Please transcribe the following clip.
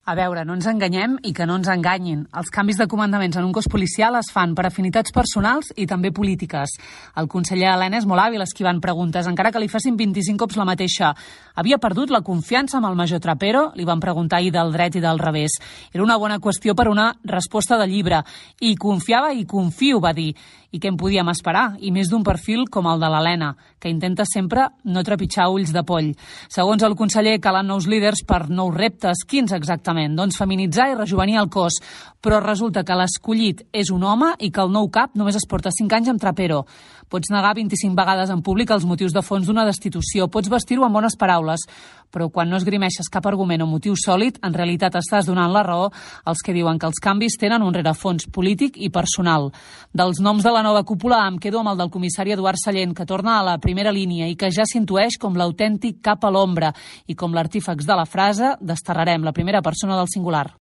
A veure, no ens enganyem i que no ens enganyin. Els canvis de comandaments en un cos policial es fan per afinitats personals i també polítiques. El conseller Elena és molt hàbil esquivant preguntes, encara que li facin 25 cops la mateixa. Havia perdut la confiança amb el major Trapero? Li van preguntar ahir del dret i del revés. Era una bona qüestió per una resposta de llibre. I confiava i confio, va dir. I què en podíem esperar? I més d'un perfil com el de l'Helena, que intenta sempre no trepitjar ulls de poll. Segons el conseller, calen nous líders per nous reptes. Quins exactament? Doncs feminitzar i rejovenir el cos. Però resulta que l'escollit és un home i que el nou cap només es porta 5 anys amb Trapero. Pots negar 25 vegades en públic els motius de fons d'una destitució, pots vestir-ho amb bones paraules, però quan no esgrimeixes cap argument o motiu sòlid, en realitat estàs donant la raó als que diuen que els canvis tenen un rerefons polític i personal. Dels noms de la nova cúpula em quedo amb el del comissari Eduard Sallent, que torna a la primera línia i que ja s'intueix com l'autèntic cap a l'ombra i com l'artífex de la frase «desterrarem la primera persona del singular».